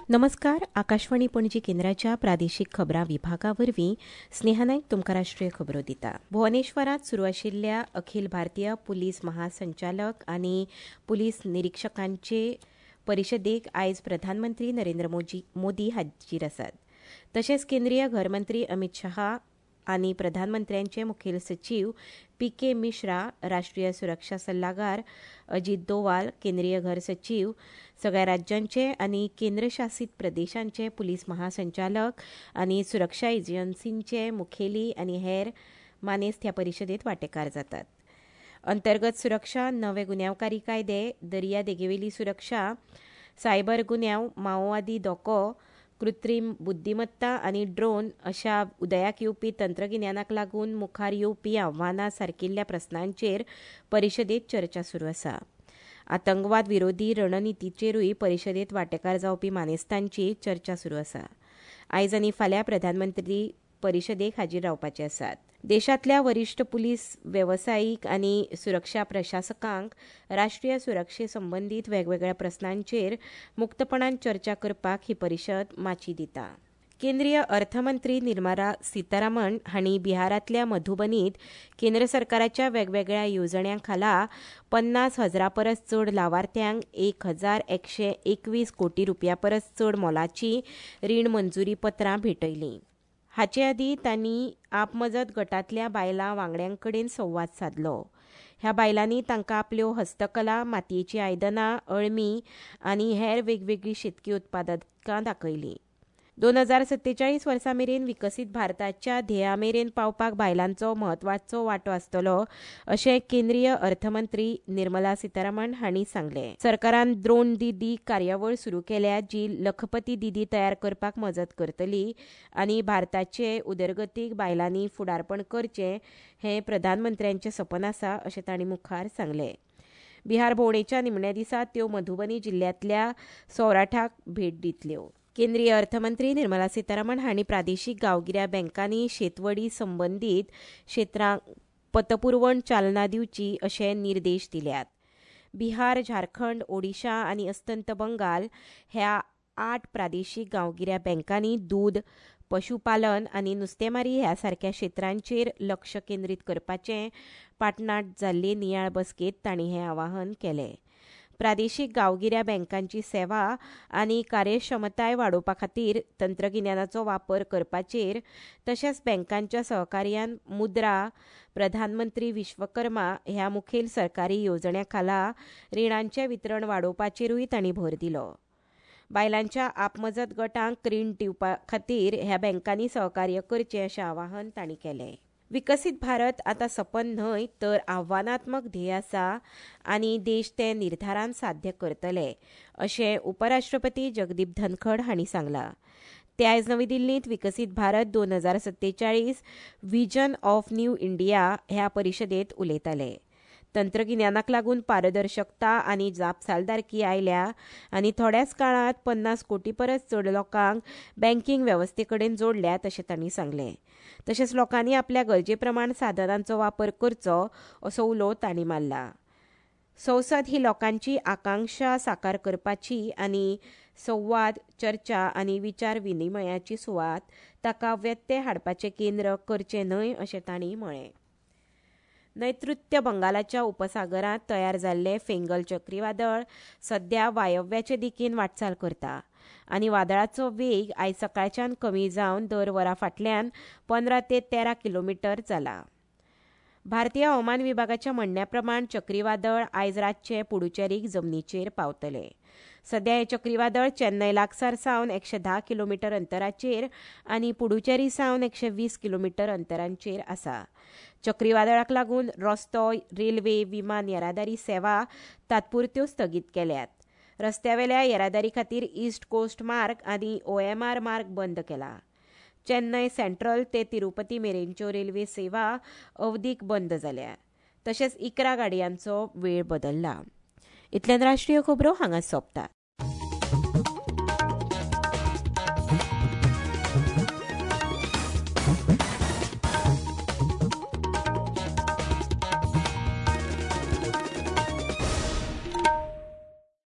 नमस्कार. आकाशवाणी पणजी केंद्राच्या प्रादेशीक खबरां विभागा वरवीं स्नेहा नायक तुमकां राष्ट्रीय खबरो दिता. भुवनेश्वरांत सुरू आशिल्ल्या अखिल भारतीय पुलीस महासंचालक आनी पुलीस निरिक्षकांचे परिशदेक आयज प्रधानमंत्री नरेंद्र मोदी हाजीर आसात. तशेंच केंद्रीय घरमंत्री अमित शहा आनी प्रधानमंत्र्यांचे मुखेल सचीव पी के मिश्रा, राष्ट्रीय सुरक्षा सल्लागार अजित दोवाल, केंद्रीय घर सचीव, सगळ्या राज्यांचे आनी केंद्रशासीत प्रदेशांचे पुलीस महासंचालक आनी सुरक्षा एजन्सींचे मुखेली आनी हेर मानेस्त ह्या परिशदेत वांटेकार जातात. अंतर्गत सुरक्षा, नवे गुन्यांवकारी कायदे, दर्या देगेवेली सुरक्षा, सायबर गुन्यांव, माओवादी धोको, कृत्रीम बुद्धिमत्ता आनी ड्रोन अशा उदयाक येवपी तंत्रगिन्यानाक लागून मुखार येवपी आव्हानां सारकिल्ल्या प्रस्नांचेर परिशदेत चर्चा सुरू आसा. आतंकवाद विरोधी रणनितीचेरूय परिशदेत वांटेकार जावपी मानेस्तांची चर्चा सुरू आसा. आयज आनी फाल्यां प्रधानमंत्री परिशदेक हाजीर रावपाचे आसात. देशांतल्या वरिश्ठ पुलीस, वेवसायीक आनी सुरक्षा प्रशासकांक राष्ट्रीय सुरक्षे संबंदीत वेगवेगळ्या प्रस्नांचेर मुक्तपणान चर्चा करपाक ही परिशद माची दिता. केंद्रीय अर्थमंत्री निर्मला सीतारामन हांणी बिहारांतल्या मधुबनीत केंद्र सरकाराच्या वेगवेगळ्या येवजण्यां खाला 50,000 परस चड लावार्थ्यांक 1,121 कोटी रुपया परस चड मोलाची रीण मंजुरी पत्रां भेटयलीं. हाचे आदीं तांणी आपमजत गटांतल्या बायलां वांगड्यां कडेन संवाद सादलो. ह्या बायलांनी तांकां आपल्यो हस्तकला, मातयेचीं आयदनां, अळमी आनी हेर वेगवेगळीं शेतकी उत्पादकां दाखयलीं. 2047 वर्सा मेरेन विकसीत भारताच्या ध्येया मेरेन पावपाक बायलांचो म्हत्वाचो वांटो आसतलो अशें केंद्रीय अर्थमंत्री निर्मला सीतारामन हांणी सांगलें. सरकारान द्रोण दिदी कार्यावळ सुरू केल्या जी लखपती दिदी तयार करपाक मजत करतली आनी भारताचे उदरगतीक बायलांनी फुडारपण करचें हें प्रधानमंत्र्यांचें सपन आसा अशें तांणी मुखार सांगलें. बिहार भोंवडेच्या निमण्या दिसा त्यो मधुबनी जिल्ल्यांतल्या सौराठाक भेट दितल्यो. केंद्रीय अर्थमंत्री निर्मला सीतारामन हांणी प्रादेशीक गांवगिऱ्या बँकांनी शेतवडी संबंदीत क्षेत्रांक पतपुरवण चालना दिवची अशे निर्देश दिल्यात. बिहार, झारखंड, ओडिशा आनी अस्तंत बंगाल ह्या 8 प्रादेशीक गांवगिऱ्या बँकांनी दूद, पशुपालन आनी नुस्तेमारी ह्या सारक्या क्षेत्रांचेर लक्ष केंद्रीत करपाचें पाटणांत जाल्ले नियाळ बसकेंत तांणी हें आवाहन केलें. प्रादेशीक गांवगिऱ्या बँकांची सेवा आनी कार्यक्षमताय वाडोवपा खातीर तंत्रगिन्यानाचो वापर करपाचेर तशेंच बँकांच्या सहकार्यान मुद्रा, प्रधानमंत्री विश्वकर्मा ह्या मुखेल सरकारी येवजण्यां खाला रिणांचें वितरण वाडोवपाचेरूय तांणी भर दिलो. बायलांच्या आपमजत गटांक रीण दिवपा खातीर ह्या बँकांनी सहकार्य करचें अशें आवाहन तांणी केलें. विकसीत भारत आतां सपन न्हय तर आव्हानात्मक ध्येय आसा आनी देश तें निर्धारान साध्य करतले अशें उपराष्ट्रपती जगदीप धनखड हांणी सांगलां. ते आयज नवी दिल्लींत विकसीत Bharat 2047 vision of new India ह्या परिशदेंत उलयताले. तंत्रगिन्यानाक लागून पारदर्शकता आनी जापसालदारकी आयल्या आनी थोड्याच काळांत 50 कोटी परस चड लोकांक बँकिंग वेवस्थे कडेन जोडल्यात अशें तांणी सांगलें. तशेंच लोकांनी आपल्या गरजे प्रमाण साधनांचो वापर करचो असो उलो तांणी मारला. संसद ही लोकांची आकांक्षा साकार करपाची आनी संवाद, चर्चा आनी विचार विनिमयाची सुवात, ताका व्यत्यय हाडपाचें केंद्र करचें न्हय अशें तांणी म्हळें. नैऋत्य बंगालाच्या उपसागरांत तयार जाल्लें फेंगल चक्रीवादळ सध्या वायव्याचे दिकेन वाटचाल करता आनी वादळाचो वेग आयज सकाळच्यान कमी जावन दर वरा फाटल्यान 15 ते 13 किलोमिटर जाला. भारतीय हवामान विभागाच्या म्हणण्या प्रमाण चक्रीवादळ आयज रातचें पुडुचेरीक जमनीचेर पावतलें. सध्या हें चक्रीवादळ चेन्नय लागसार सावन 110 किलोमिटर अंतराचेर आनी पुडुचेरी सावन 120 किलोमिटर अंतराचेर आसा. चक्रीवादळाक लागून रस्तो, रेल्वे, विमान येरादारी सेवा तात्पुरत्यो स्थगीत केल्यात. रस्त्यावेल्या येरादारी खातीर ईस्ट कोस्ट मार्ग आनी OMR मार्ग बंद केला. चेन्नय सेंट्रल ते तिरुपती मेरेनच्यो रेल्वे सेवा अवधीक बंद जाल्या. तशेंच 11 गाडयांचो वेळ बदल्ला. इतल्यान राष्ट्रीय खबरो हांगा सोंपतात.